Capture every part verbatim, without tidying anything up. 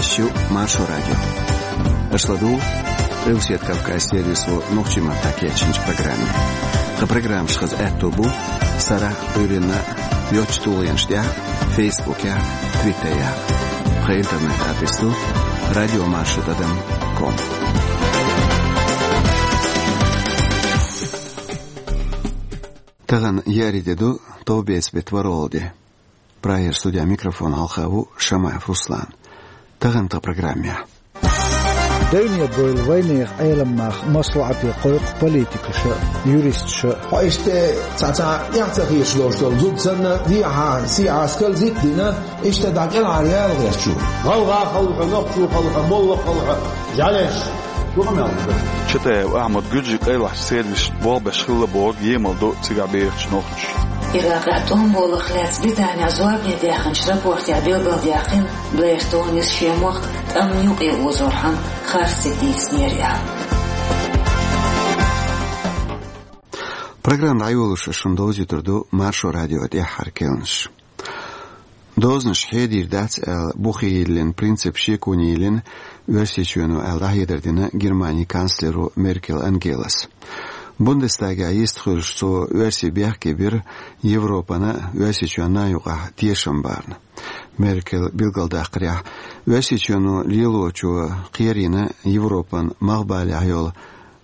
Шу Маршо радио. Аша ладугӀу Къилбаседа Кавказ сервисо нохчийн маттахь кечйинчу программе. Тхан программаш хаза аьтто бу сарахь а, Ӏуьйранна а йоцчу тулгӀенаш тӀехь а, Фейсбукехь а, Твиттерехь а. Тхан интернет-адрес ду радио маршо тӀадам ком. Тахана еарин де ду, товбеца беттан ворхӀалгӀа де. Прагера студехь микрофон хьалха ву Шамаев Руслан. Тахана тхан программехь. Девне бойла вайнехан Ӏеламнах маслаӀате кхойкху политикаша а, юристаша а. Хьо иштта цхьа-цхьа эхь ца хеташ долуш долу зуда санна, дехьа сехьа скалзит а дина, иштта дӀа кӀелхьара яла гӀерташ ю. ГӀалгӀа хала хьо, нохчо хала хьо, молла хала хьо, жӀаьлеш. Ду къамел. Чатаев Ахьмад гуьржийн къайлахчу сервисашна болх беш хилла бохург емал до цигахь бехачу нохчаша. Иракъехь тӀом боларх лаьцна Британехь зорбане даьхначу рапортехь билгалдаьккхина, Блэр Тонис шен мохк тӀамна юкъе озорхьама харц ца дийцинера аьлла. Программа дӀайолош шуна довзуьйтур ду Маршо радион тӀаьххьара керланаш. Дозанаш хьедийр дац аьлла, бухе йиллина принцип шеконе йиллина Оьрсийчоьно аьлла, дӀахьедар дина Германин канцлеро Меркель Ангелас. Бундестагехь йистхуьлуш цо оьрсий бехке бира Европана а, Оьрсийчоьнна а юкъахь тешам барна. Меркель билгалдаккхарехь, Оьрсийчоьно лелочо кхерийна Европан малхбалехь йолу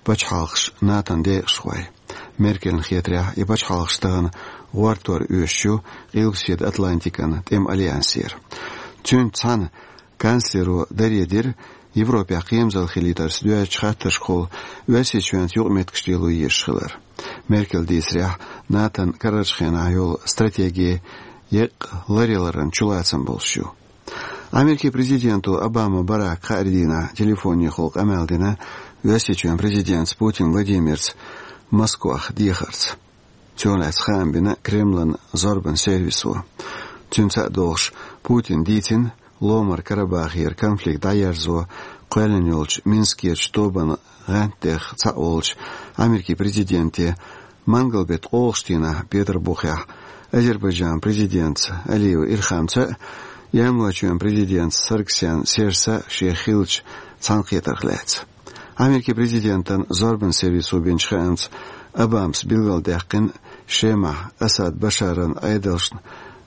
пачхьалкхаш, НАТОн декъашхой. Меркельна хетарехь, и пачхьалкхаш тахана гӀортор оьшуш ю Къилбаседа Атлантикан тӀеман альянсера. Цуьнца цхьаьна канцлеро даре дира Европехь кхерамзалла хилийтарца доьзначу хаттаршкахула Оьрсийчоьнца юкъаметтигаш лело езаш хилар. Меркельна дийцарехь, НАТОн карарчу хенахь йолу стратеги еккъа ларъяларан чулацам болуш ю. Америкин президенто Обама Барака хаарин дийнахь телефонехула къамел дина Оьрсийчоьнан президентаца Путин Владимирца Москвахь дехарца. Цунах лаьцна хаам бина Кремлан зорбанан сервисо. Цуьнца а догӀуш, Путина дийцина Ломара Карабахера конфликт дӀаерзо кхоьллина йолчу Минскерчу тобанан гӀантдех цхьаъ волчу Америкин президенте мангал-беттан ткъолгӀачу дийнахь Петарбухехь Азербайджанан президентаца Алиев Илхамца а, Ямалойчоьнан президентаца Саргсян Сержца а шен хиллачу цхьаьнакхетарх лаьцна. Америкин президентан зорбанан сервисо бинчу хаамца, Обамас билгалдаьккхина, Шемахь Асад Башаран Ӏедалшна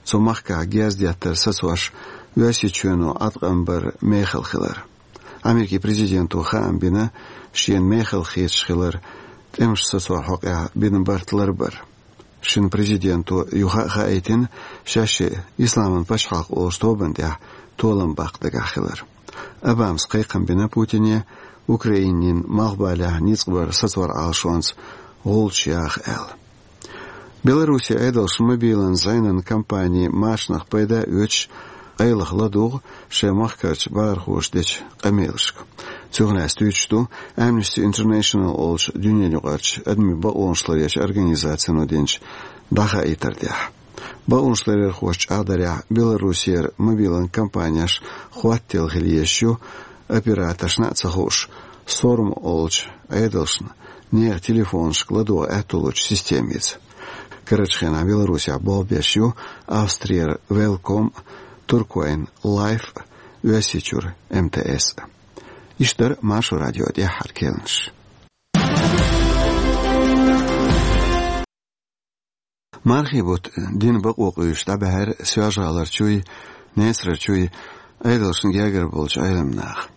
цу махкахь герз деттар сацош Оьрсийчоьно Ӏаткъам бар мехала хилар. Америкин президенто хаам бина шена мехала хеташ хилар тӀемаш сацоран хьокъехь бина барт ларбар. Шина президенто юха а хаийтина шаьш шиъ Исламан пачхьалкх олучу тобанна тӀехь толам баккха дагахь хилар. Обамас кхайкхам бина Путине Украинин малхбалехь ницкъ бар сацоран Ӏалашонца гӀулчаш яха аьлла. Беларусин Ӏедалша мобилан зӀенан компани машанах пайда а оьцуш, къайлаха ладугӀу шайн махкарчу бахархоша дечу къамелашка. Цунах лаьцна дуьйцуш ду Amnesty International олучу дуьненаюкъарчу адамийн бакъонаш ларъечу организацино динчу дӀахаийтар тӀехь. Бакъонаш ларъярхоша чӀагӀдарехь, Беларусера мобилан компанеш хӀоттаелла хила езаш ю, операторшна а ца хууш, СОРМ олучу Ӏедалшна нехан телефонашка ладогӀа аьтто лучу системица. Карарчу хенахь Беларусехь болх беш ю Австрера Велком а, Туркойн Лайф а, Оьрсийчуьра МТС а. Иштта дара Маршо радион тӀаьххьара керланаш. Мархийн бутт динан бакъо къуьйсуш дӀабаьхьира Соьлжа-ГӀаларчуй, Несарарчуй Ӏедалшна гергара болчу Ӏеламнаха.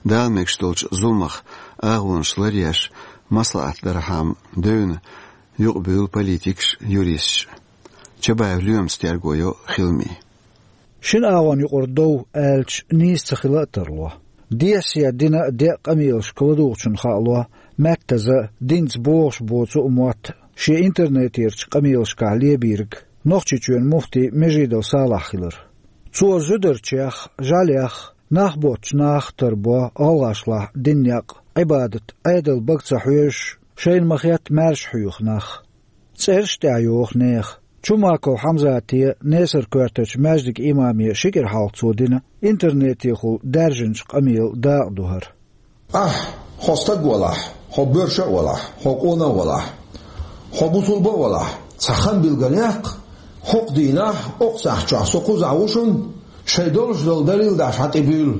Дала мегаш долчу зуламах агӀонаш ларъеш маслаӀат дархьама девнна юкъабуьйлу политикаш а, юристаш а. Чабаев Лоьмас терго йо хиламийн. Шина агӀон юкъара дов аьлча нийса ца хила а тарло. Дехьа-сехьа дина а, деа къамелашка ладугӀучунна хаало, маьттаза а, динца богӀуш боцу а мотт шен интернетерчу къамелашкахь лебийриг Нохчийчоьнан муфти Межидов Салахь хилар. Цо зударчех, жӀаьлех, нах боцчу нахах тарбо гӀалгӀашлахь динан некъ, Ӏибадат, Ӏедал бага ца хьоьжуш, шайна ма-хетта маьрша хьоьху нах. ЦӀераш а тӀаьхьайоху нехан. Чумаков Хьамзате, Несар-Коьртачу маьждиган имаме ши кӀира хьалха цо дина интернетехула даьржинчу къамелан дакъа ду хӀара. Ахь, хьо стаг валахь, хьо боьрша а валахь, хьо къона а валахь, хьо бусулба а валахь, цхьа хан билгалъяккха, хӀокху дийнахь, окху сахьтехь со кхузахь ву шуна, шайн долуш долу далил даш хьан тӀе буьйлу.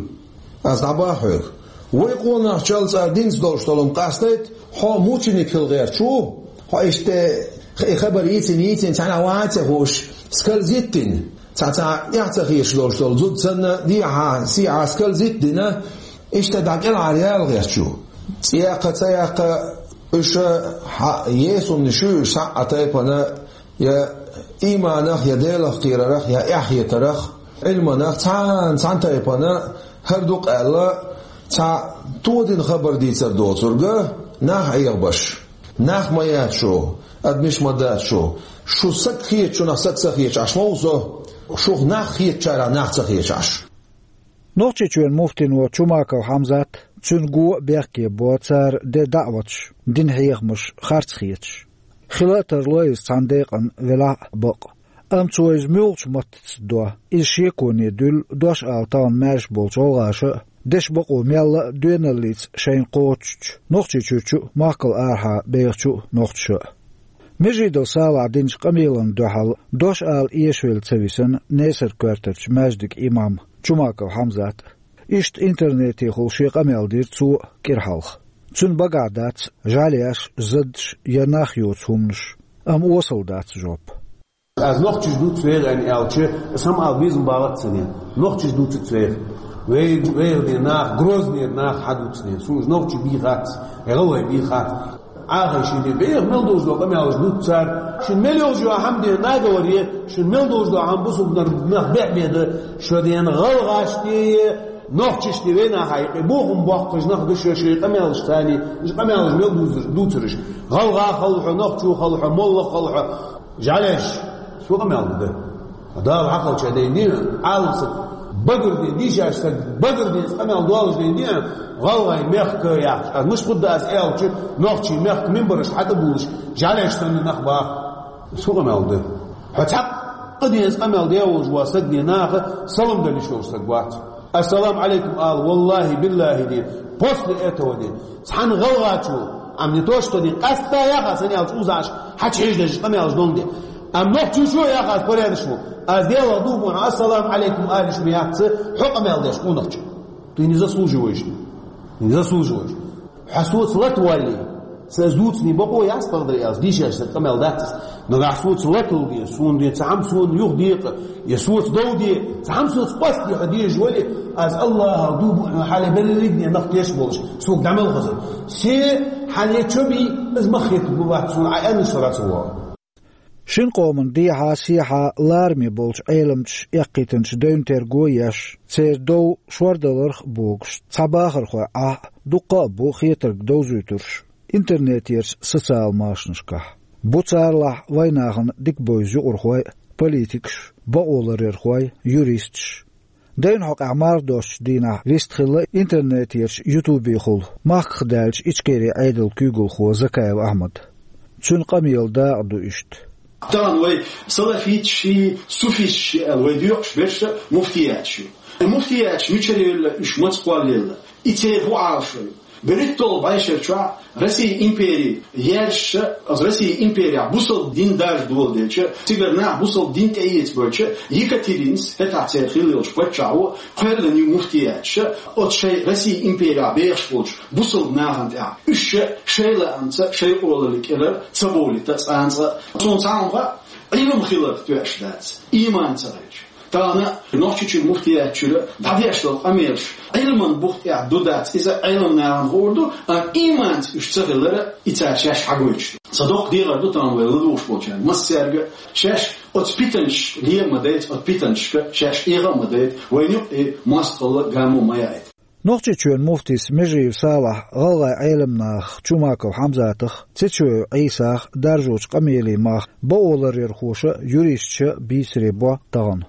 Аз дӀабаха хьоьга. Вай къонахчалла цӀа динца долуш долу-м къастайта, хьо мученик хила гӀерташ ву, хьо иштта и хабар йийцина, йийцина, цхьаьна ван а ца хууш, скользить дина. Цхьа-цхьа эхь ца хеташ долуш долу зуда санна, дехьа, сехьа скользить дина, иштта дӀа кӀелхьара яла гӀерташ ву. ЦӀе яккха, ца яккха, уьш хьа-, есунна шуьйш схьа а тайпана, я ийманах, я Делах кхерарах, я эхь хетарах, Ӏилманах цхьана цхьана тайпана хӀара ду къаьлла, цхьа тодина хабар дийцар доцург, нах Ӏехабеш. Нах ма яц шу, адамаш ма дац шу. Шу саг хеташ, шунах саг ца хеташ Ӏаш ма ву со, шух нах хетачарах нах ца хеташ Ӏаш. Нохчийчоьнан муфтино Чумаков Хьамзат, цуьнан го а бехке бо цара ден даӀваташ, дина хьехамаш харц хеташ. Хила а тарло иза цхьана декъана велахь а бакъ. Амма цо иза муьлхачу маттаца до, иза шеконе дуьллу дош ала тахана маьрша болчу гӀалгӀаша а, дешан бакъо мелла а доьналлица шайна кхочучу Нохчийчуьрчу а, махкал арахьа бехачу а нохчаша а. Межидов Салахь динчу къамелана дуьхьал дош ала эшавелла ца висина Несар-Коьртарчу маьждиган имам Чумаков Хьамзат а. Иштта интернетехула шен къамел дира цо а кӀира хьалха. Цуьнан багахь дац жӀаьлеш, заддаш я нах йоцу хӀуманаш, амма осал дац жоп. Аз нохчаш дуц вайх аьлча, аса хӀама ала безам балац ца ден. Нохчаш дуц вайх. Вай, вайх ден нах, Грознера нах хьан дуц ден. Суна уьш нохчий бийхац, я гӀалгӀай бийхац. Ӏахай шен ден, бех мел долуш долу къамелаш дуц цара. Шуна мел йолчу хӀама ден нагавар е, шуна мел долуш долу хӀама бусулба нах беа беда, шо ден гӀалгӀаш де е, нохчаш де вайна хьайкъе. Бохам боккхуш нах ду шо шайн къамелаш царний, уьш къамелаш мел дузур-, дуцураш. ГӀалгӀа хала хьо, нохчо хала хьо, молла хала хьо. ЖӀаьлеш, со къамел ду дан. Дала хьакхалча дайн дина, Ӏалам саг, багар ден, дийшаш саг, багар ден, къамел долаш дайн дина, гӀалгӀай мехка яхаш. Аз муш худда аз аьлча, нохчий мехка мимбараш хьатӀа булуш, жӀаьлеш санна нах баха. Со къамел ду. Хьо цхьаккха ден къамел де волуш ва саг ден наха, салам далиш волуш саг вац. Ассаламу алейкум ала, валлахи, биллахи де, после этого де, цхьана гӀалгӀачо, ам не то, что де, къаста яха, сан ялч узаш, хьача хьеждеш къамелаш дон де. Ам нохчо шо яха, аз порядочно. Аз делах ду бу, ассаламу алейкум алиш ма яц, хьо къамел деш, къонахчо. Ты не заслуживаешь. Не заслуживаешь. Хьо соца латвалли, сан зуцни бакъо яц тагъдар аз, дийшаш сан къамел дац. Нагахь соца латулге, суна де, ца хьам суна юх декъа, я соца дов де, ца хьам соца къост де, хьо дежа вали, аз Аллахах дуба, хьале беллиг де, нах теш болуш, суг дамел хазар. Се хьале чо би, аз маххет бу вац суна, а энни сараца вала. Шин къоман дехьа, сехьа лараме болчу Ӏеламчаш эккхийтинчу девн терго а еш, церан дов шордаларх а богуш, цхьа бахархой Ӏахь а, дуккха а бу хетарг довзуьйтурш интернетерчу социал машанашкахь. Бу царалахь вайнахана дика бевза юкъархой а, политикаш а, бакъоларъярхой а, юристаш а. Дайн хьокъехь марха доцучу дийнахь вист хилла интернетерчу ютубехула махках даьллачу Ичкерин Ӏедалан куьйгалхо Закаев Ахьмад. Цуьнан къамелан дакъа ду иштта. Тахана вай салафиташ ши, суфисташ ши аьлла, вай доькъуш берш а муфтияташ ю. Муфтияташ мичара йевлла, уьш маца кхоллаелла? И церан хӀун Ӏалашо ю? БерритталгӀа бӀешар чохь Россия импери яьржича, оцу Россия имперехь бусалба дин даржа доладелча, цигара нах бусалба дин тӀеэцабелча, Екатеринас, хӀетахь церан хилла йолчу паччахьо, кхоьллина ю муфтияташ, оцу шайн Россия имперехь бехаш болчу бусалба нахана тӀехь. Уьш шайн лаамца, шайн къолаллин кӀира ца бовлийта цкъа а. Суна цхьа хӀума хаьа, Ӏилма хиларх тоьаш дац, ийман ца хилча. Тахана Нохчийчуьра муфтиятчуьра дӀадеш долу къамелаш Ӏилман бух тӀехь ду дац, иза Ӏилман нахана хуур ду, амма ийманца уьш ца хилара, и цара шаьш хьагойтуш ду. Сан доккха дегӀар ду тахана вай ладугӀуш болчарна массаьрга а, шаьш оцу питанчашка ле а ма дайта, оцу питанчашка шаьш эгӀа а ма дайта, вайна юкъе мостагӀалла а, гамо а ма яийта. Нохчийчоьнан муфтис Межиев Салахь гӀалгӀайн Ӏеламнахах Чумаков Хьамзатах а, Цечоев Ӏийсах а даржочу къамелийн мах бакъоларъярхоша а, юристаша а бийцаре бо тахана.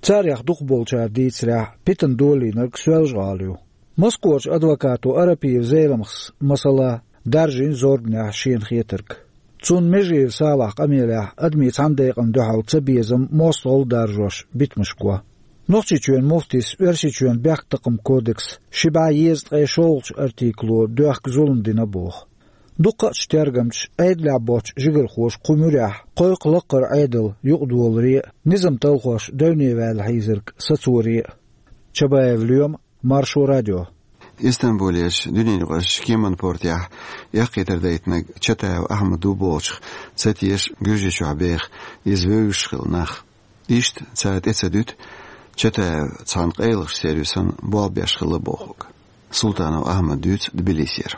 Царех дукхахболчара дийцарехь, питана долийнарг Соьлжа-ГӀала ю. Москварчу адвокато Арапиев Зеламхас, масала, даржийна зорбанехь шена хетарг. Цунна Межиев Салахьан къамелехь адамийн цхьана декъана дуьхьал цабезам, мостагӀалла даржош битамаш го. Нохчийчоьнан муфтис Оьрсийчоьнан бехктакхаман кодексан ши бӀе езткъе шолгӀачу артикло доьхка зулам дина боху. Дуккхачу тергамчаша Ӏедалехь боцчу жигархоша кху муьрехь кхойкху лакхара Ӏедал юкъадоларе а, низам талхош девне ваьлла хьийзарг сацоре а. Чабаев Лоьма, Маршо радио. Истанбулерчу дуьненаюкъарчу Кеман-портехь эккхийтар дайтинарг Чатаев Ахьмад ву бохучух ца теша Гуьржийчохь беха иза вевзаш хилла нах. Иштта цара тӀе ца дуьту Чатаев цхьана къайлахчу сервисан болх беш хилла бохург. Султанов Ахьмада дуьйцу Тбилисера.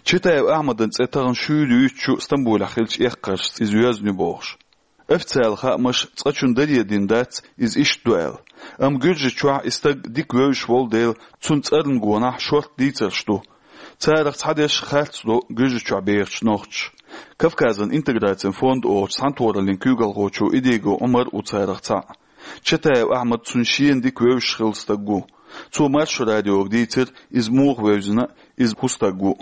Чатаев Ахьмадан цӀе тахана шуьйра юьйцучу Стамбулехь хиллачу эккхаршца иза йоьзна ю бохуш. Официалан хаамаша цкъачунна даре дина дац иза иштта ду аьлла. Амма Гуьржийчохь и стаг дика вевзаш волу дела, цуьнан цӀарна гонахь шорта дийцарш ду. Царах цхьадерш харц до Гуьржийчохь бехачу нохчаша. Кавказан интеграцин фонд олучу цхьаьнатохараллин куьйгалхочо Идигов Ӏумар ву царах цхьаъ. Чатаев Ахьмад цунна шена дика вевзаш хилла стаг ву. Цо Маршо радиога дийцира, иза муха вевзина, иза хӀун стаг ву.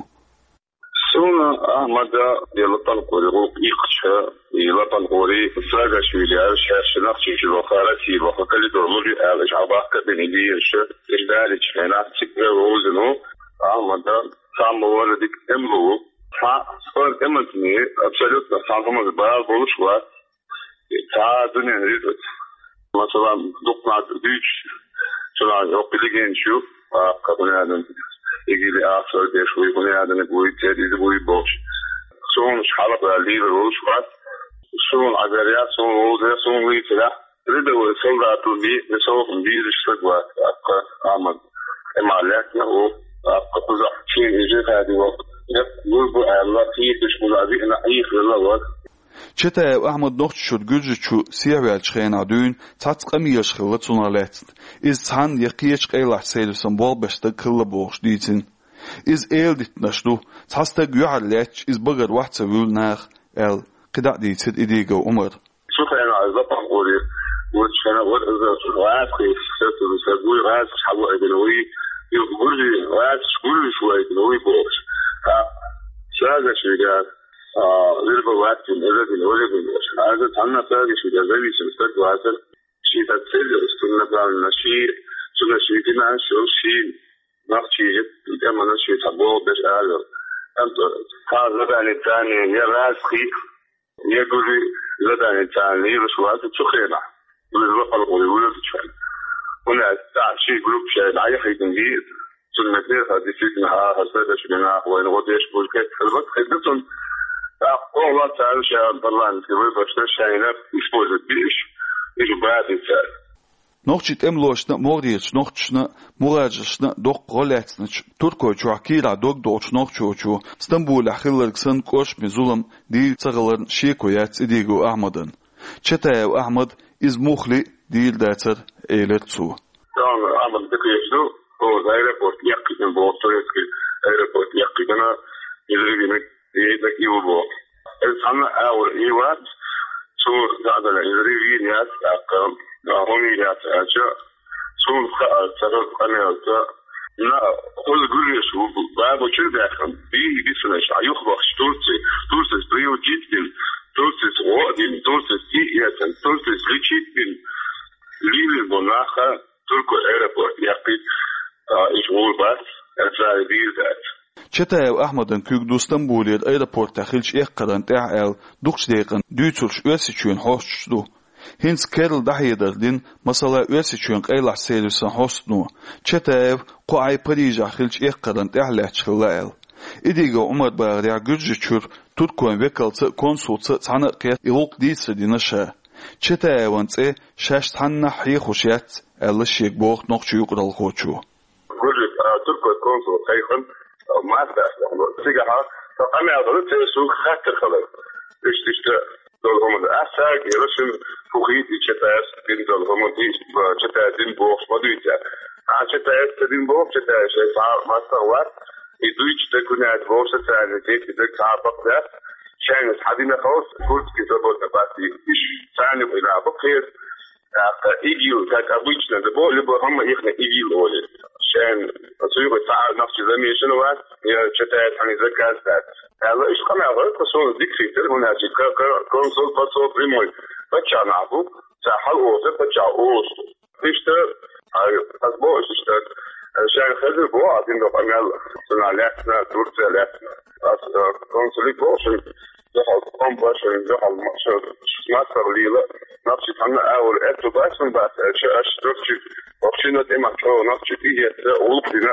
Суна Ахьмада я лапанхори гӀуллакх иккхича, и лапанхори Саакашвили аьлла, шаьш Нохчийчуьра ваха, Россера ваха коридор лур ю аьлла, иштта бахка бина дийраш, иштта далийча хенахь, цигара вовзина ву Ахьмада, цхьамма вара дика тӀемало ву. Цхьа цкъа тӀемалца, абсолютно цхьана хӀуманца бала болуш вац. Цхьа а дуьненан рицкъаца. Масала, дукха нах дуьйцуш, цунах йоккха легендаш ю, тӀаккха хӀун аьлла, ИГИЛе ахча деш вуй, хӀун аьлла, вуй, церан иза вуй бохуш. Суна хьалха лийр волуш вац. Суна Ӏазарехь, суна вовзарехь, суна вийцарехь, рядовой солдатал бен, весовхьан бийраш стаг вац, тӀаккха Ахьмад. ТӀеман лаьцна ву, тӀаккха кхузахь шен жихади ваха, я гур бу аьлла, хийташ кхузахь виъна, Ӏехавелла вара. Чатаев Ахьмад Нохчийчуьра Гуьржийчу сехьаваьллачу хенахь дуьйна цхьацца къамелаш хилла цунах лаьцна. Иза цхьанна я кхечу къайлахчу сервисан болх беш стаг хилла бохуш дийцина. Иза эладиттинарш ду, цхьа стаг юьхьар лаьтташ, иза багара охьа ца вуьллу наха, аьлла, кхидӀа а дийцира Идигов Ӏумара. Цу хенахь иза лапанхори вуьйцучу хенахь вара иза гӀазкхий, сатуьйсу стаг вуй, гӀазкхаша хьалаайдина вуй, юха гури, гӀазкхаша гури вуйла айдина вуй бохуш. ТӀаккха Саакашвили, а, вербовать дина, иза дина, вала дина бохуш. Иза цхьанна Саакашвили зависимый стаг вацара. Шен цхьа цель йолуш, цунна направлено, шен, цунна шен финанс йолуш, шен нохчийн тӀемана шен цхьа болх беш ала. ТӀаккха цхьа заданица я гӀазкхий, я гури заданица лелаш вац цу хенахь. Иза лапанхори вуьйцучу хенахь. ХӀунда аьлча цхьа шен группа шайн дӀаяхийтина дийр, цунна меттера хьан действительно хьан, хьан Саакашвили нах вайна гӀо деш бу, кхетта хилла бац, хилла цунна. ТӀаккха кхоалгӀа цара шайн парламентский выбораш деш шайна использовать беш, уьш бацара цара. Нохчийн тӀемалошна а, могӀарерчу нохчашна а, мухӀажаршна а доккха гӀо лаьцначу Туркойчохь кийрахь дог долчу нохчочо Стамбулехь хилларг санна кӀоршаме зулам дийр ца хиларна шеко яц Идигов Ахьмадан. Чатаев Ахьмада иза муххале а дийр дацара, элира цо. Ахьмад дика везаш ду, цо аэропорт эккхийтина боху, турецкий аэропорт эккхийтина, иза вигина, и дакъа и ву боху. Иза цхьанна а агӀор и вац, цо дӀа а даьлла, иза вийна яц, тӀаккха, а, хӀунда яц аьлча, суна хаьа цара къамелца, на, кхуза гуьржеша ву, бабо чуьра баьхна, бий, бисина, а юхабахча Турци, Турцис приютить бина, Турцис гӀо а дина, Турцис тӀе а эцна, Турцис лечить бина, лелийна болу нах а туркойн аэропорт эккхийта, а, уьш гӀур бац, цара дийр дац. Чатаев Ахьмадан куьг ду Стамбулера аэропортехь хиллачу эккхаран тӀехь аьлла, дукхачу декъана дуьйцурш Оьрсийчоьнан хьосташа ду. ХӀинца керла дӀахьедар дина, масала, Оьрсийчоьнан къайлахчу сервисан хьостано, Чатаев кху Ӏай Парижехь хиллачу эккхаран тӀехь лаьтташ хилла аьлла. Идигов Ӏумар бахарехь, Гуьржийчуьра туркойн векалца а, консулца а цхьаьна а кхетта и гӀуллакх дийцар дина ша. Чатаеван цӀе шаьш цхьаннахь хьехош яц, аьлла шега боху нохчийн юкъаралхочо. Гуьржийчохь, а, туркойн консул кхайкхина, а, марта аьлла, цигахь а, сан къамел дара, церан суна хаттар хилар. Иштта, иштта долу хӀума ду. Ас цаьрга элира, шуна хӀун хийтий Чатаевс дина долу хӀума, а, Чатаевс дина бохуш ма дуьйцу. А, Чатаевс ца дина боху, Чатаев шайн цхьа а мастагӀа вац, и дуьйцуш дерг хӀун яц боху, социальный сеть дерг цхьа а бакъ дац. Шайна схьадина хаалц, курдский свободный партия, уьш царна юкъа йина бу кхера. ТӀаккха ИГИЛ, как обычно, да бо, любой хӀума ихна ИГИЛ олу. Шайн, цу юкъа цхьа а нах чу замешан вац, я Чатаев цхьанна заказ дац. Аьлла, уьш къамел дара, тхо суна дика хийтира, хӀунда аьлча ка-, ка-, консул, посол прямой паччахьнах бу, цара хьал олура паччахь олуш. Иштта, ай, ас боху иштта, шайна хезира боху, а дина къамел, цунах лаьцна, Турция лаьцна. Ас, э, консуле боху, шуна дуьхьал къам бан, шуна дуьхьал ма-, шуна мастагӀа лела, Нохчий цхьанна а вара аьтту бац, хӀунда бац аьлча, аш нохчий, вахчина тӀемах чӀо нохчий тӀехӀетта, гӀуллакх дина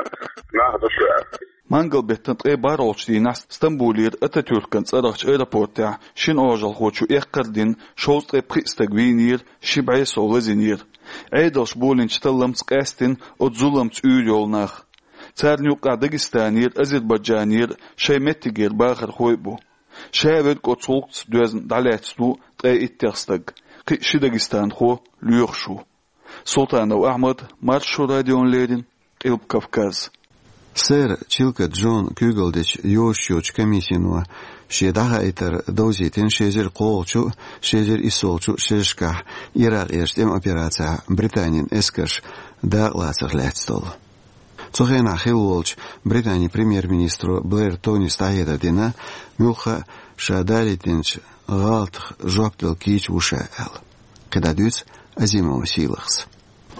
нах да шу аьлла. Мангал беттан ткъе бархӀолчу дийнахь Стамбулера Ататюркан цӀарахчу аэропортехь шина Ӏожалхочо эккхар а дина, шовзткъе пхиъ стаг вийнера, ши бӀе сов лазийнера. Ӏедалша болийначу талламца къаьстина оцу зуламца уьйр йолу нах. Царна юккъехь Дагестанера, Азербайджанера, шайн меттигера бахархой а бу. Ша верг оцу гӀуллакхца доьзна дӀалаьцна ву ткъе иттех стаг, кхин а ши дагестанхо лоьхуш ву. Султанов Ахьмад, Маршо радиона леррина, Къилба Кавказ. Сэр Чилкот Джон куьйгалла дечу йозуш йоцчу комиссино шен дӀахаийтар довзийтина ши эзар кхоалгӀачу а, ши эзар иссолгӀачу а шерашкахь Иракъерчу тӀеман операцехь Британин эскарш дакъалацарх лаьцна долу. Цу хенахь хилла волчу Британин премьер-министро Блэр Тонис дӀахьедар дина, муьлхха а ша далийтинчу гӀалатах жоп дала кийча ву ша аьлла. КхидӀа дуьйцу Азимова Сийлахьас.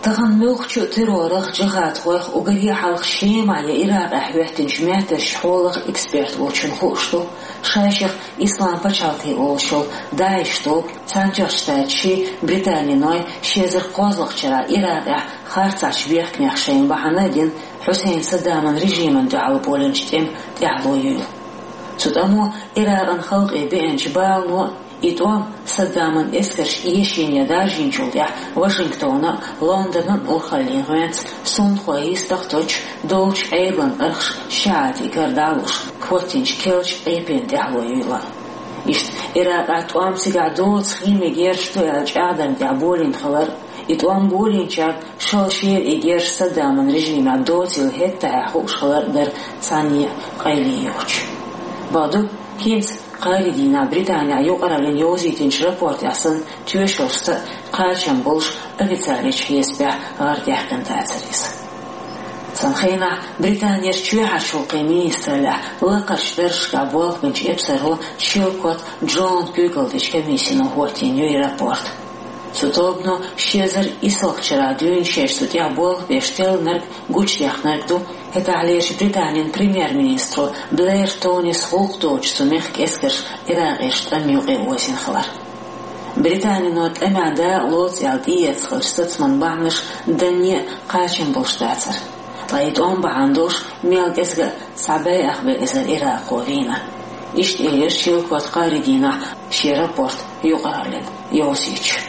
Тахана муьлххачу а террорах, джихадхойх уггаре хьалха Шемахь я Иракъехь хӀоьттинчу меттигашна хьолах эксперт волчунна хууш ду, ша-шех Ислам пачхьалкх олуш йолу ДАИШ тоба, Цхьаьнатоьхначу Штаташий, Британиной ши эзар кхоалгӀачу шарахь Иракъехь харцахчу бехкамех шайна бахьана а дина, Хьусайн Саддаман режимана дуьхьал болийначу тӀеман тӀаьхьало юйла. Цу тӀамо Иракъан халкъе беанчу балано, и тӀом Саддаман эскарш эшийна я даржийначул тӀаьхьа Вашингтонан а, Лондонан а урхаллин гӀоьнца сунтхой йистах а тоттуш, долчу Ӏедалан архаш шиӀатийн кара дӀалуш, хӀоттийначу керлачу Ӏепенан тӀаьхьало юйла. Иштта Иракъехь тӀом цигахь доцу химин герзаш ду аьлла чӀагӀдарна тӀехь болийна хилар, и тӀом болийначаьрга шал шера и герзаш Саддаман режимехь доцийла хӀетахь хууш хилар а дара цхьанне а къайле йоцуш. Бакъду, хӀинца кхаарин дийнахь Британехь юкъараллина йовзийтинчу рапортехь санна, тоьшаллашца а кхачам болуш официалечу хьесапехь гӀар даьккхина дацара иза. Цхьана хенахь Британерчу чоьхьарчу гӀуллакхийн министраллехь лакхарчу даржашкахь болх бинчу эпсаро Чилкот Джон куьйгалла дечу комиссино хӀоттийна ю и рапорт. Цу тобано ши эзар иссалгӀачу шарахь дуьйна шаьш цу тӀехь болх беш теллинарг гучудаьккхинарг ду хӀетахьлерчу Британин премьер-министро Блэр Тонис гӀуллакх доцуш цу мехкан эскарш Иракъерчу тӀамна юкъа озийна хилар. Британино тӀамехь дакъа лоцу аьлла тӀеэцна хиллачу сацаман бахьанаш данне а кхачам болуш дацара. Ткъа и тӀом бахьана долуш мел кӀезиг а цхьа бӀе ах бӀе эзар иракъхо вийна. Иштта элира Чилкот кхаарин дийнахь шен рапорт юкъараллина йовзийча.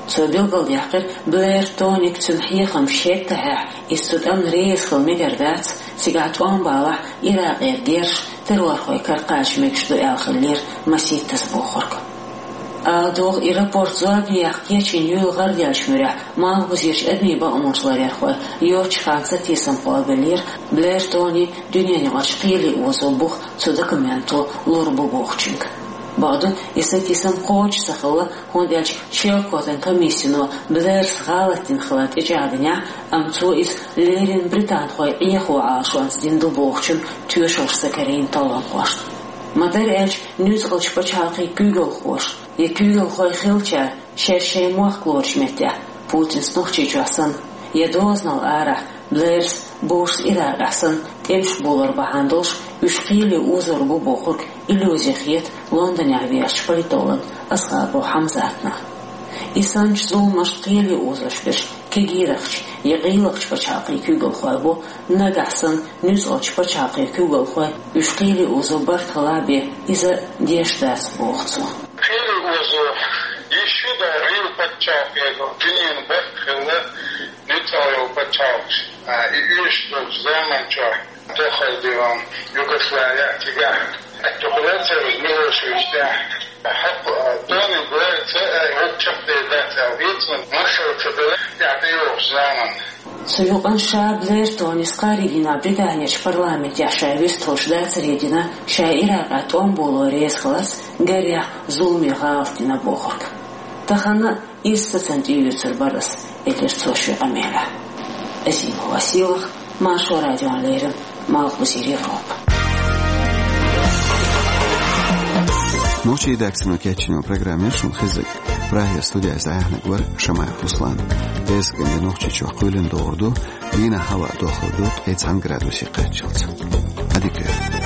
Цо билгалдаьккхира, Блэр Тонига, цуьнан хьехамашка хӀетахь, иза цу тӀамна реза хила мегар дац, цигахь тӀом балахь Иракъера герзаш террорхойн кара кхача мегаш ду аьлла хиллера масийттаза бохург. Ала догӀу, и рапорт зорбанехь кечйина юйла гӀардаьллачу муьрехь Малхбузерчу адамийн бакъонаш ларъярхой йоццачу хенахь сатийсам къобалйира Блэр Тони дуьненаюкъарчу кхеле озо бух цу документо лур бу бохучуьнга. Бакъду, и сатийсам кхочуш ца хилла, хӀунда аьлча Чилкотан комиссино Блэрс гӀалатдина хилар тӀечӀагӀдинехь, амма цо иза леррина британхойн Ӏехо Ӏалашонца дина ду бохучун тоьшаллаш ца карийна талламхошна. Ма-дарра аьлча, нуьцкъалчу пачхьалкхийн куьйгалхоша я куьйгалхой хиллачара шаьш шайн мохк лоручу меттехь, Путинс Нохчийчохь санна, я дозанал арахь, Блэрс божарша Иракъехь санна, тӀемаш болор бахьана долуш, уьш кхеле озор бу бохург иллюзи хета Лондонехь вехачу политологна Асхабов Хьамзатна. И санначу зуламашна кхеле озош берш кегийрахча я гӀийлахчу пачхьалкхийн куьйгалхой бу, нагахь санна нуьцкъалчу пачхьалкхийн куьйгалхой уьш кхеле озо барт хилахь бен, иза деш дац, боху цо. Кхеле озо йиш ю дан гӀийла пачхьалкхе, дуьненан барт хилла нуьцкъала йолу пачхьалкхаш, а, и оьшуш долчу заманчохь, тохал диван, Югославия, цигахь, аьтто хуьлура церан Милошевич тӀехь. Хьакъ, а, Тони Блэр ца а, хӀокху чекхдер дац аьлла, вецна, маршалла ца дала, тӀехь тӀейогӀучу заманна. Цу юкъанна ша Блэр Тонис кхаарин дийнахь Британерчу парламентехь ша вистхуьлуш дацаре дина, ша Иракъехь тӀом боло реза хиларца, гарехь, зуламе гӀалат дина бохург. Тахана иза сацам тӀеоьцур бара ас, элира цо шен къамелехь. Азимова Сийлахь, Маршо радиона леррина, Малхбузера Европа. Нохчийн редакцино кечйина программа яра шуна хезнарг. Прагера студехь иза дӀаяьхьнарг вара Шамаев Руслан. Пхьарсаган де Нохчийчохь кхоьлина догӀур ду, дийнахь хӀаваъ дохлур ду ткъе цхьана градусе кхаччалц. Ӏадика йойла.